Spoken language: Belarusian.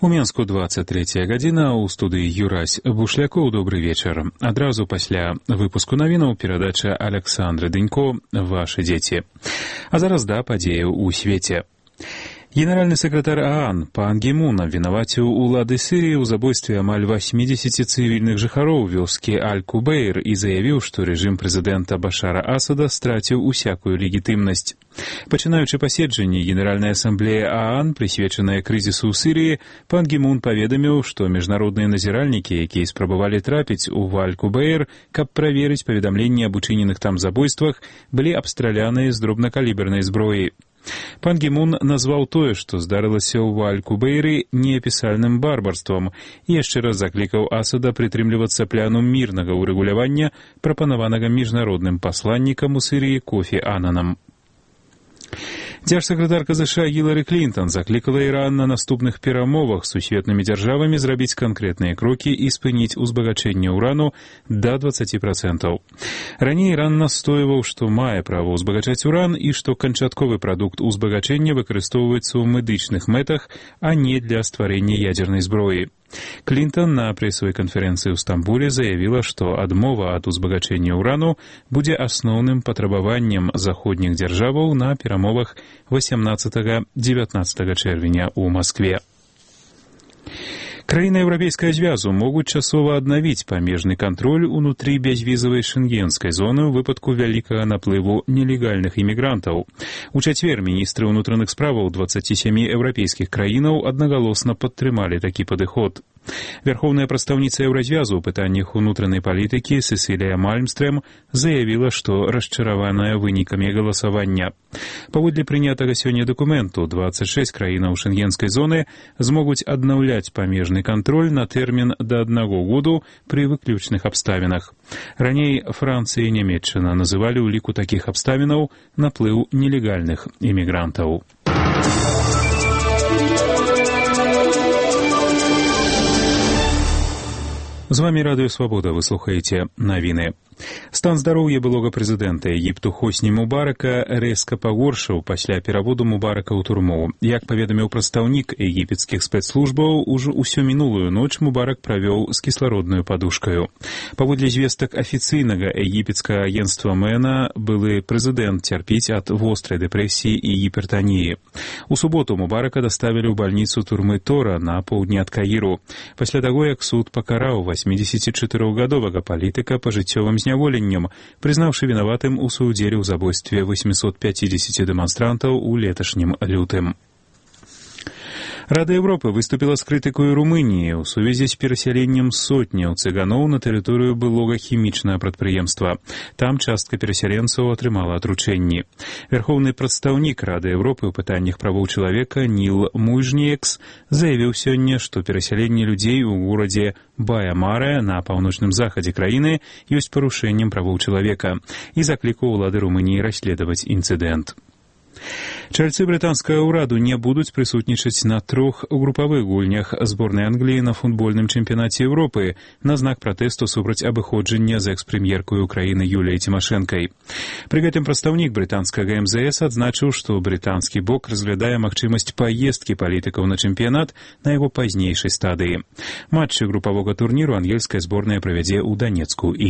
У Менску 23 гадзіна, у студыі Юрась Бушлякоў. Добры вечар. Адразу пасля выпуску навінаў перадача Александры Дынько «Ваши дзеці». А зараз да падзеяў у свеце. Генеральны сакратар ААН Пан Гі Мун абвінаваціў улады Сірыі ў забойстве амаль 80 цывільных жыхароў вёскі Аль-Кубейр і заявіў, што рэжым прэзідэнта Башара Асада страціў усякую легітымнасць. Пачынаючы паседжанне Генеральнай асамблеі ААН, прысвечанае крызісу ў Сірыі, Пан Гі Мун паведаміў, што міжнародныя назіральнікі, якія спрабавалі трапіць у Аль-Кубейр, каб праверыць паведамленні аб учыненых там забойствах, былі абстраляныя з дробнакалібернай зброі. Пан Гі Мун назваў тое, што здарылася ў Аль-Кубейры, неапісальным барбарствам і яшчэ раз заклікаў Асада прытрымлівацца пляну мірнага ўрэгулявання, прапанаванага міжнародным пасланнікам у Сірыі Кофі Ананам. Дзяржсакратарка США Гілары Клінтон заклікала Іран на наступных перамовах з сусветнымі дзяржавамі зрабіць канкрэтныя крокі і спыніць узбагачэнне ўрану да 20%. Раней Іран настойваў, што мае права ўзбагачаць уран і што канчатковы прадукт узбагачэння выкарыстоўваецца ў медычных мэтах, а не для стварэння ядзернай зброі. Клінтон на прэсавай канферэнцыі ў Стамбуле заявіла, што адмова ад узбагачэння ўрану будзе асноўным патрабаваннем заходніх дзяржаваў на перамовах 18-19 чэрвеня ў Маскве. Краіны Еўрапейскага звязу могуць часова аднавіць памежны кантроль унутры бязвізавай шэнгенскай зоны ў выпадку вялікага наплыву нелегальных імігрантаў. У чацвер міністры ўнутраных справаў 27 еўрапейскіх краінаў аднагалосна падтрымалі такі падыход. Вярхоўная прадстаўніца Еўразвязу ў пытаннях унутранай палітыкі Сесілія Мальмстрэм заявіла, што расчараваная вынікамі галасавання. Паводле прынятага сёння дакументу, 26 краінаў шэнгенскай зоны змогуць аднаўляць памежны кантроль на тэрмін да 1 году пры выключных абставінах. Раней Францыя і Нямецчына называлі ў ліку такіх абставінаў наплыў нелегальных імігрантаў. З вамі Радыё Свабода, вы слухаеце навіны. Стан здароўя былога прэзідэнта Егіпту Хосні Мубарака рэзка пагоршыў пасля пераводу Мубарака ў турму. Як паведаміў прадстаўнік егіпецкіх спецслужбаў, ужо ўсю мінулую ноч Мубарак правёў з кіслароднаю падушкаю. Паводле звестак афіцыйнага егіпецкага агенцтва МЭНа, былы прэзідэнт цярпіць ад вострай дэпрэсіі і гіпертаніі. У суботу Мубарака даставілі ў бальніцу турмы Тора на поўдні ад Каіру, пасля таго, як суд пакараў 84-гадовага палітыка пажыццёвым зняволеннем, прызнаўшы вінаватым у суудзеле ў забойстве 850 дэманстрантаў у леташнім лютым. Рада Европы выступила с крытыкой Румынии ў сувязі з перасяленнем сотняў цыганоў на тэрыторыю былога хімічнага прадпрыемства. Там частка перасяленцаў атрымала атручэнні. Вярхоўны прадстаўнік Рады Европы ў пытаннях правоў чалавека Ніл Муйжніекс заявіў сёння, што перасяленне людзей у горадзе Бая-Маре на паўночным захадзе краіны ёсць парушэннем правоў чалавека і заклікаў улады Румыніі расследаваць інцыдэнт. Чальцы брытанскага ўраду не будуць прысутнічаць на 3 групавых гульнях зборнай Англіі на футбольным чэмпіянаце Еўропы на знак пратэсту супраць абыходжання з экс-прэм'еркай Украіны Юліяй Цімашэнкай. Пры гэтым прадстаўнік брытанскага МЗС адзначыў, што брытанскі бок разглядае магчымасць паездкі палітыкаў на чэмпіянат на яго пазнейшай стадыі. Матчы групавога турніру ангельская зборная правядзе ў Данецку і